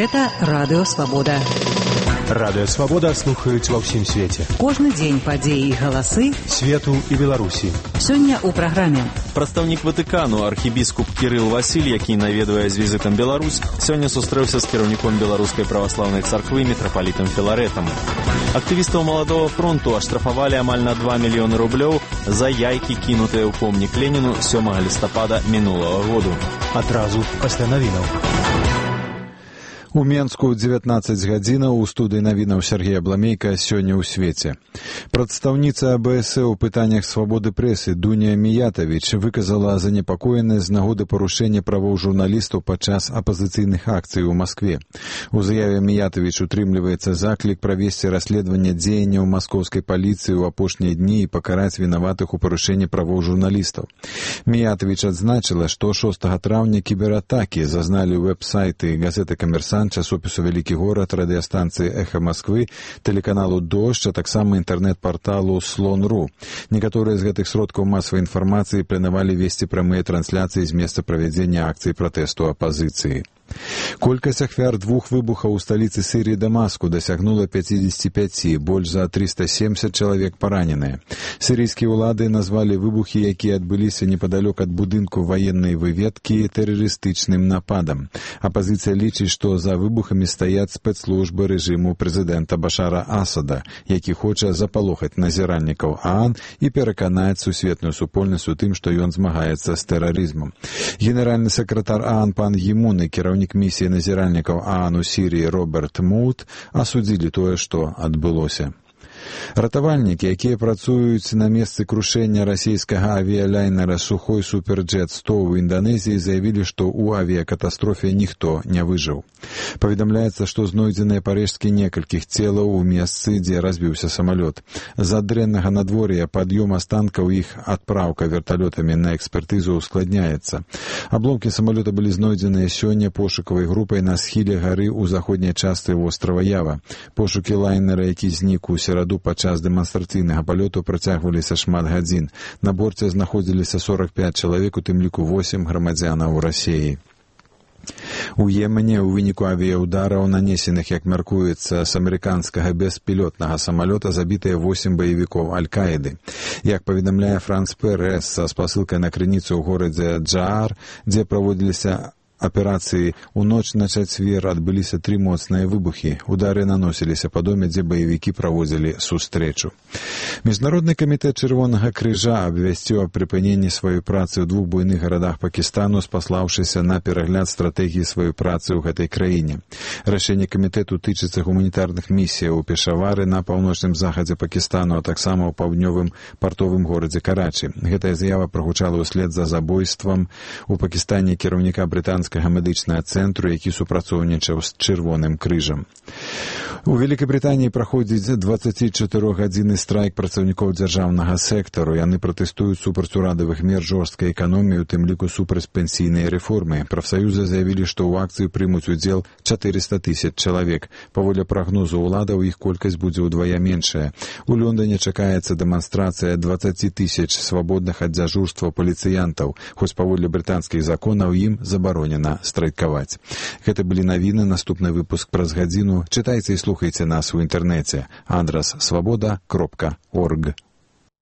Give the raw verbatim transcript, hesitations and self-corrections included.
Гэта Радыё Свабода. Радыё Свабода слухаюць ва ўсім свеце. Кожны дзень падзеі і галасы свету і Беларусі. Сёння ў праграме. Прадстаўнік Ватыкану, архібіскуп Кірыл Васіль, які наведвае з візітам Беларусь, сёння сустрэўся з кіраўніком Беларускай праваслаўнай царквы мітрапалітам Філарэтам. Актывістаў Маладога фронту аштрафавалі амаль на два мільёны рублёў за яйкі, кінутыя ў помнік Леніну сёмага лістапада мінулага году. Адразу пасля навінаў. У Менску дзевятнаццаць гадзінаў у студыі навінаў Сергея Бламейка сёння ў свеце. Прадстаўніца АБС у пытаннях свабоды прэсы Дуня Міятавіч выказала занепакоенасць з нагоды парушэння правоў журналістаў падчас апазіцыйных акцый у Маскве. У заяве Міятавіч утрымліваецца заклік правесці расследаванне дзеянняў маскоўскай паліцыі ў апошнія дні і пакараць вінаватых у парушэнні правоў журналістаў. Міятавіч адзначыла, што шостага траўня кібератакі зазналі вэб-сайты газеты «Камерсант», часопісу «Вялікі горад», радыёстанцыі «Эхо Москвы», тэлеканалу «Дождж», а таксама інтэрнэт-парталу «Слон.ру». Некаторыя з гэтых сродкаў масавай інфармацыі планавалі весці прамыя трансляцыі з месца правядзення акцый пратэсту апазіцыі. Колькасць ахвяр двух выбухаў у сталіцы Сірыі Дамаску дасягнула пяцьдзесят пять, больш за триста семьдесят чалавек параненыя. Сірыйскія ўлады назвалі выбухі, якія адбыліся непадалёк ад будынку ваеннай выведкі, тэрарыстычным нападам. Апазіцыя лічыць, што за выбухамі стаяць спецслужбы рэжыму прэзідэнта Башара Асада, які хоча запалохаць назіральнікаў ААН і пераканаць сусветную супольнасць у тым, што ён змагаецца з тэрарызмам. Генеральны сакратар ААН пан Гімун і кіраўнік місіі назіральнікаў ААН у Сірыі Роберт Мут асудзілі тое, што адбылося. Ратавальнікі, якія працуюць на месцы крушэння расійскага авіялайнера «Сухой Суперджет сто» ў Інданезіі, заявілі, што ў авіякатастрофе ніхто не выжыў. Паведамляецца, што знойдзеныя парэшткі некалькіх целаў у месцы, дзе разбіўся самалёт. З-за дрэннага надвор'я пад'ём астанкаў іх адпраўка верталётамі на экспертызу ускладняецца. Абломкі самалёта былі знойдзеныя сёння пошукавай групай на схіле гары ў заходняй частцы вострава Ява. Пошукі лайнера, які знік у сераду падчас дэманстрацыйнага палёту, працягваліся шмат гадзін. На борце знаходзіліся сорок пять чалавек, у тым ліку восемь грамадзянаў Расіі. У Йемене ў выніку авіяўдараў, нанесеных, як мяркуецца, з амерыканскага беспілотнага самалёта, забітыя восемь баевікоў Аль-Каіды. Як паведамляе Франс Пэрэс са спасылкай на крыніцу ў горадзе Джаар, дзе праводзіліся аперацыі, у ноч на чацвер адбыліся тры моцныя выбухі. Удары наносіліся па доме, дзе баевікі праводзілі сустрэчу. Міжнародны камітэт Чырвонага крыжа абвясціў аб прыпыненні сваёй працы ў двух буйных гарадах Пакістану, спаслаўшыся на перагляд стратэгіі сваёй працы ў гэтай краіне. Рашэнне камітэту тычыцца гуманітарных місіяў у Пешавары, на паўночным захадзе Пакістану, а таксама ў паўднёвым партовым горадзе Карачы. Гэтая заява прагучала ўслед за забойствам у Пакістане кіраўніка брытанскага медычнага цэнтру, які супрацоўнічаў з Чырвоным крыжам. У Великабрытаніі праходзіць дваццацічатырохгадзінны страйк працаўнікоў дзяржаўнага сектару. Яны пратэстуюць супраць урадавых мер жорсткай эканоміі, у тым ліку супраць пенсійнай рэформы. Прафсаюзы заявілі, што ў акцыі прымуць удзел чатырыста тысяч чалавек. Паводле прагнозу ўладаў, іх колькасць будзе ўдвая меншая. У Лондоне чакаецца дэманстрацыя дваццаць тысяч свабодных ад дзяжурства паліцыянтаў, хоць паводле брытанскіх законаў ім забаронена страйкаваць. Гэта былі навіны, наступны выпуск праз гадзіну. Чытайце і слухайце нас у інтэрнэце. Адрас свабода кропка орг.